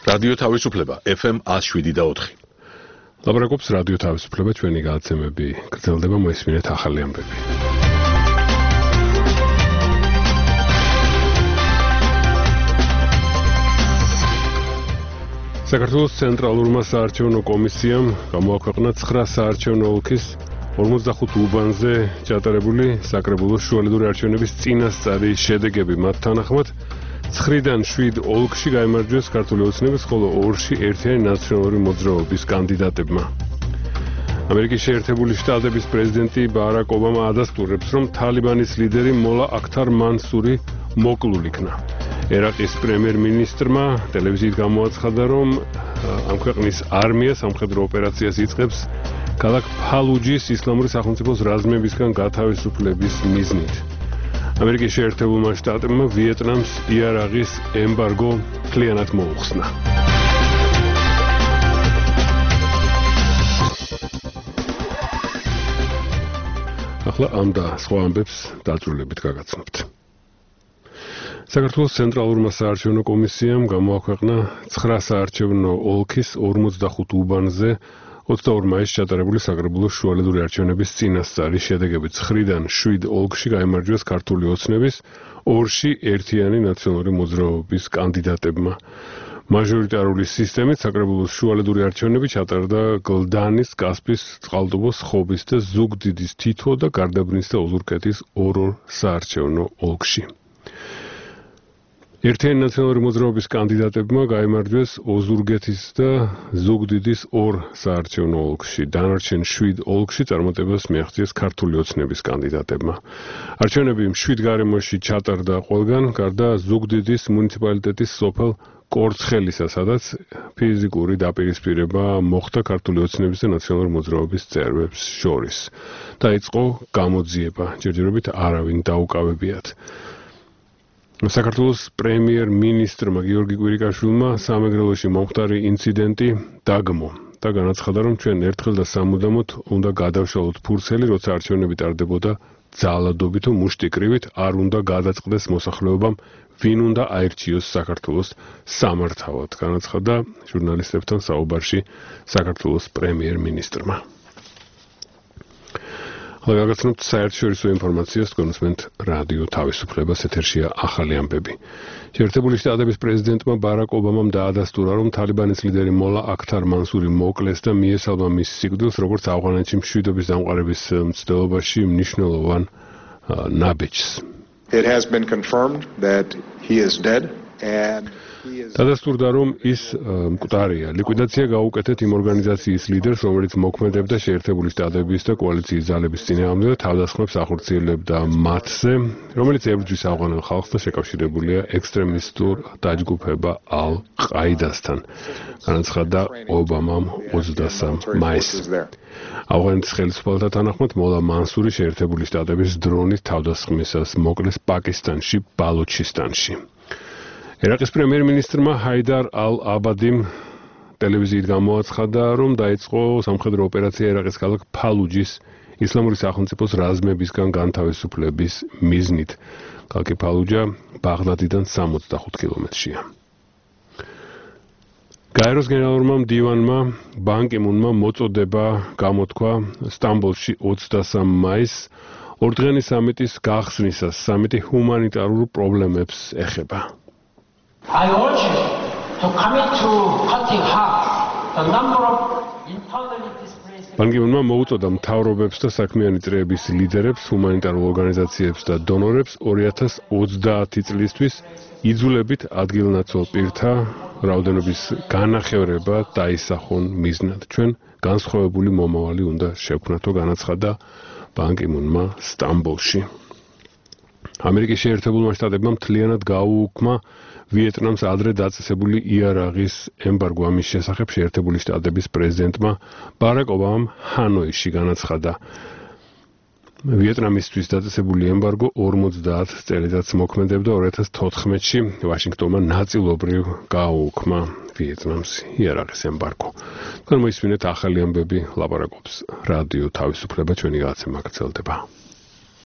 რადიო თავისუფლება FM 107.4. ლაპარაკობს რადიო თავისუფლება, ჩვენი გადაცემები გრძელდება, მოისმინეთ ახალი ამბები. საქართველოს ცენტრალურმა საარჩევნო კომისიამ გამოაქვეყნა 9 საარჩევნო ოლქის 45 უბანზე ჩატარებული საკრებულოს შუალედური არჩევნების წინასწარი შედეგები. მათ თანახმად 9-დან 7 ოლქში გაიმარჯვეს ქართული ოცნების, ხოლო 2-ში ერთიანი ნაციონალური მოძრაობის კანდიდატებმა. ამერიკის შეერთებული შტატების პრეზიდენტი ბარაკ ობამა ადასტურებს, რომ თალიბანის ლიდერი მოლა აქთარ მანსური მოკლულ იქნა. ერაყის პრემიერ-მინისტრმა ტელევიზიით გამოაცხადა, რომ ამ ქვეყნის არმია სამხედრო ოპერაციას იწყებს ქალაქ ფალუჯის ისლამური სახელმწიფოს რაზმებისგან გათავისუფლების მიზნით. ამერიკის შეერთებულმა შტატებმა ვიეტნამს იარაღის ემბარგო მთლიანად მოუხსნა. ახლა ამ და სხვა ამბებს დაწვრილებით გაგაცნობთ. საქართველოს ცენტრალურმა საარჩევნო კომისიამ გამოაქვეყნა 9 საარჩევნო ოლქის 45 უბანზე 22 მაისს ჩატარებული საკრებულოს შუალედური არჩევნების წინასწარი შედეგები. 9-დან 7 ოლქში გაიმარჯვეს ქართული ოცნების, 2-ში ერთიანი ნაციონალური მოძრაობის კანდიდატებმა. მაჟორიტარული სისტემით საკრებულოს შუალედური არჩევნები ჩატარდა გლდანის, კასპის, წყალტუბოს, ხობის და ზუგდიდის თითო და გარდაბნის და ოზურგეთის 2 საარჩევნო ოლქში. ერთიანი ნაციონალური მოძრაობის კანდიდატებმა გაიმარჯვეს ოზურგეთის და ზუგდიდის 2 საარჩევნო ოლქში. დანარჩენ 7 ოლქში წარმატებას მიაღწიეს ქართული ოცნების კანდიდატებმა. არჩევნები 7 გარემოში ჩატარდა ყველგან, გარდა ზუგდიდის მუნიციპალიტეტის სოფელ კორცხელისა, სადაც ფიზიკური დაპირისპირება მოხდა ქართული ოცნების და ნაციონალური მოძრაობის წევრებს შორის. დაიწყო გამოძიება, ჯერჯერობით არავინ დაუკავებიათ. საქართველოს პრემიერ-მინისტრმა გიორგი კვირიკაშვილმა სამეგრელოში მომხდარი ინციდენტი დაგმო და განაცხადა, რომ ჩვენ ერთხელ და სამუდამოდ უნდა გადავშალოთ ფურცელი, როცა არჩევნები ტარდებოდა ძალადობით თუ მუშტიკრივით, არ უნდა გადაწყდეს მოსახლეობამ, ვინ უნდა აირჩიოს საქართველოს სამართავად, განაცხადა ჟურნალისტებთან საუბარში საქართველოს პრემიერ-მინისტრმა. გაგაცნობთ საერთაშორისო ინფორმაციას, გონსმენთ რადიო თავისუფლებას, ეთერშია ახალი ამბები. შეერთებული შტატების პრეზიდენტმა ბარაკ ობამამ დაადასტურა, რომ თალიბანის ლიდერი მოლა აქთარ მანსური მოკლეს და მიესალმა მის სიკვდილს, როგორც ავღანეთში მშვიდობის დამყარების მცდელობაში მნიშვნელოვან ნაბიჯს. It has been confirmed that he is dead and დადასტურდა, რომ ის მკვდარია. ლიკვიდაცია გაუკეთეთ იმ ორგანიზაციის ლიდერს, რომელიც მოქმედებდა შეერთებული შტატების და კოალიციის ძალების წინააღმდეგ და თავდასხმებს ახორციელებდა მათზე, რომელიც ებრძვის ავღანელ ხალხს და შეკავშირებულია ექსტრემისტულ დაჯგუფება ალ-ყაიდასთან, განაცხადა ობამამ 23 მაისს. ავღანეთის ხელისუფალთა თანახმად მოლა მანსური შეერთებული შტატების დრონით თავდასხმისას მოკლეს პაკისტანში, ბალუჩისტანში. ერაყის პრემიერ-მინისტრმა ჰაიდარ ალ-აბადიმ ტელევიზიით გამოაცხადა, რომ დაიწყო სამხედრო ოპერაცია ერაყის ქალაქ ფალუჯის ისლამური სახელმწიფოს რაზმებისგან განთავისუფლების მიზნით. ქალაქი ფალუჯა ბაღდადიდან 65 კილომეტრშია. გაეროს გენერალურმა მდივანმა ბან კი მუნმა მოწოდება გამოთქვა სტამბოლში 23 მაისს ორდღიანი სამიტის გახსნისას. სამიტი ჰუმანიტარულ პრობლემებს ეხება. I urge you to commit to cutting half the number of internally displaced. ბან კი მუნმა მოუწოდა მთავრობებს და საქმიანი წრეების ლიდერებს, ჰუმანიტარულ ორგანიზაციებს და დონორებს 2030 წლისთვის იძულებით ადგილნაცვალ პირთა რაოდენობის განახევრება დაისახონ მიზნად. ჩვენ განსხვავებული მომავალი უნდა შევქმნათო, განაცხადა ბან კი მუნმა სტამბოლში. ამერიკის შეერთებულმა შტატებმა მთლიანად გაუუქმა ვიეტნამს ადრე დაწესებული იარაღის ემბარგო. ამის შესახებ შეერთებული შტატების პრეზიდენტმა ბარაკ ობამამ ჰანოიში განაცხადა. ვიეტნამისთვის დაწესებული ემბარგო 50 წელიწადს მოქმედებდა. 2014-ში ვაშინგტონმა ნაწილობრივ გააუქმა ვიეტნამს იარაღის ემბარგო. თქვენ მოისმინეთ ახალი ამბები, ლაპარაკობს რადიო თავისუფლება, ჩვენი გადაცემა გრძელდება.